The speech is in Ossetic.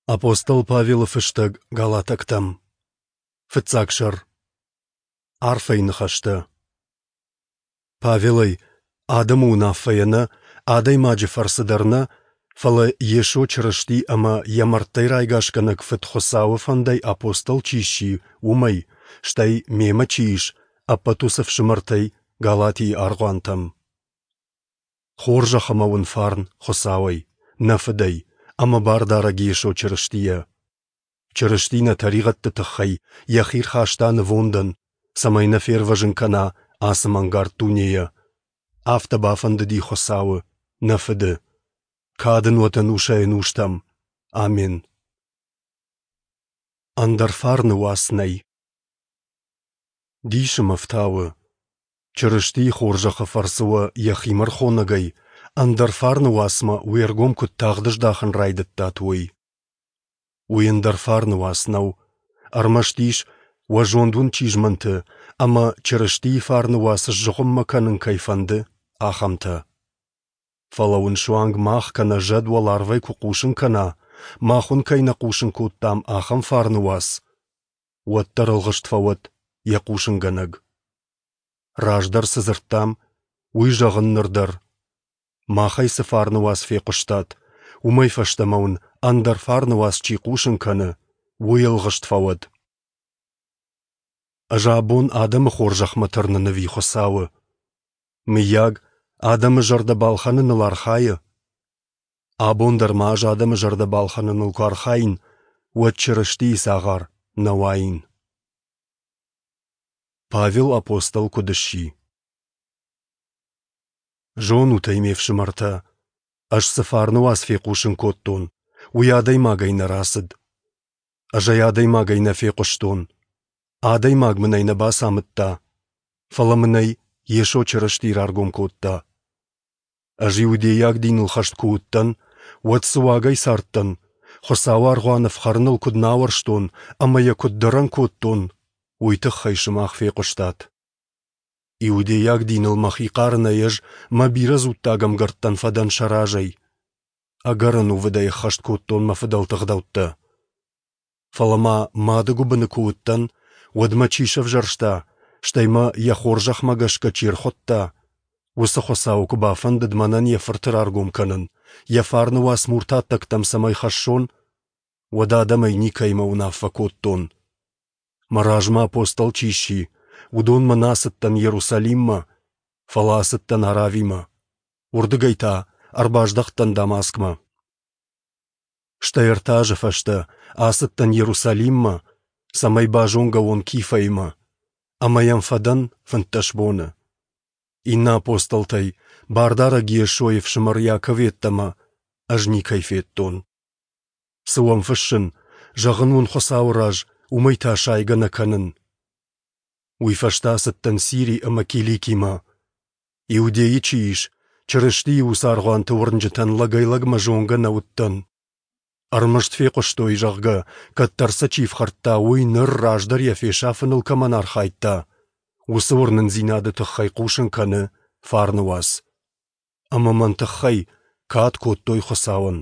Апостол Павелы фыстӕг Галатӕгтӕм. Фыццаг сӕр. Арфӕйы ныхӕстӕ. Павелӕй, адӕмы уынаффӕйӕ нӕ, адӕймаджы фӕрцы дӕр нӕ, фӕлӕ Йесо Чырысти ӕмӕ йӕ мӕрдтӕй райгасгӕнӕг Фыд Хуыцауы фӕндӕй апостол чи сси, уымӕй, стӕй мемӕ чи ис, ӕппӕт уыцы фсымӕртӕй Галатийы аргъуантӕм. Хорзӕх ӕмӕ уын фарн Хуыцауӕй, нӕ Фыдӕй ӕмӕ Бардарӕг Йесо Чырыстийӕ. Чырысти нӕ тӕригъӕдты тыххӕй йӕхи рхаста нывондӕн, цӕмӕй нӕ фервӕзын кӕна ацы мӕнгард дунейӕ. Афтӕ бафӕндыди Хуыцауы, нӕ Фыды. Кад ын уӕд ӕнусӕй-ӕнустӕм. Амен. Ӕндӕр фарны уац нӕй. Дисы мӕ фтауы, Чырыстийы хорзӕхы фӕрцы уӕ йӕхимӕ рхонӕгӕй ӕндӕр фарны уацмӕ уе ргом куыд тагъд здахын райдыдтат, уый. Уый ӕндӕр фарны уац нӕу, ӕрмӕст ис, уӕ зонд уын чи змӕнты ӕмӕ Чырыстийы фарны уац сзыгъуыммӕ кӕнын кӕй фӕнды, ахӕмтӕ. Фӕлӕ уын суанг мах кӕнӕ зӕд уӕларвӕй куы хъусын кӕна, мах уын кӕй нӕ хъусын кодтам, ахӕм фарны уац, уӕддӕр ӕлгъыст фӕуӕд йӕ хъусынгӕнӕг. Раздӕр цы дзырдтам, уый зӕгъын ныр дӕр. Махӕй цы фарны уац фехъуыстат, уымӕй фӕстӕмӕ уын ӕндӕр фарны уац чи хъусын кӕны, уый ӕлгъыст фӕуӕд. Ӕз абон адӕмы хорзӕхмӕ тырнын ӕви Хуыцауы? Мыййаг, адӕмы зӕрдӕ балхӕныныл архайы? Абон дӕр ма ӕз адӕмы зӕрдӕ балхӕныныл куы архаин, уӕд Чырыстийы цагъар нӕ уаин. Павел апостол куыд сси? Зонут ӕй, ме фсымӕртӕ, ӕз цы фарны уац фехъусын кодтон, уый адӕймагӕй нӕ рацыд. Ӕз ӕй адӕймагӕй нӕ фехъуыстон. Адӕймаг мын ӕй нӕ бацамыдта, фӕлӕ мын ӕй Йесо Чырысти раргом кодта. Ӕз иудейаг диныл хӕст куы уыдтӕн, уӕд цы уагӕй цардтӕн, Хуыцауы аргъуан ӕфхӕрыныл куыд нӕ ауӕрстон ӕмӕ йӕ куыд дӕрӕн кодтон, уый тыххӕй сымах фехъуыстат. Иудейаг диныл мӕхи хъарынӕй ӕз мӕ бирӕ дзуттаг ӕмгӕрттӕн фӕдӕн сӕ разӕй. Ӕгӕр ӕнувыдӕй ӕххӕст кодтон мӕ фыдӕлты ӕгъдӕуттӕ. Фӕлӕ ма мады гуыбыны куы уыдтӕн, уӕд мӕ чи сӕвзӕрста, стӕй мӕ йӕ хорзӕхмӕ гӕсгӕ чи ӕрхуыдта, уыцы Хуыцауы куы бафӕндыд мӕнӕн йӕ фырты раргом кӕнын, йӕ фарны уац муртаттӕгтӕм цӕмӕй хӕссон, уӕд адӕмӕй никӕимӕ уынаффӕ кодтон. Мӕ размӕ апостол чи сси, уыдонмӕ нӕ ацыдтӕн Иерусалиммӕ, фӕлӕ ацыдтӕн Аравимӕ, уырдыгӕй та ӕрбаздӕхтӕн Дамаскмӕ. Стӕй ӕртӕ азы фӕстӕ ацыдтӕн Иерусалиммӕ, цӕмӕй базонгӕ уон Кифӕимӕ, ӕмӕ йӕм фӕдӕн 15 боны. Иннӕ апостолтӕй, Бардарӕг Йесойы фсымӕр Иаков йеддӕмӕ, ӕз никӕй федтон. Цы уӕм фыссын, зӕгъын уын Хуыцауы раз, уымӕй та сайгӕ нӕ кӕнын. Уый фӕстӕ ацыдтӕн Сири ӕмӕ Киликимӕ. Иудейы чи ис, Чырыстийы уыцы аргъуанты уырнджытӕн лӕгӕй-лӕгмӕ зонгӕ нӕ уыдтӕн. Ӕрмӕст фехъуыстой, зӕгъгӕ, кӕддӕр сӕ чи фхӕрдта, уый ныр раздӕр йӕ фесафыныл кӕмӕн архайдта, уыцы уырнындзинады тыххӕй хъусын кӕны фарны уац. Ӕмӕ мӕн тыххӕй кад кодтой Хуыцауӕн.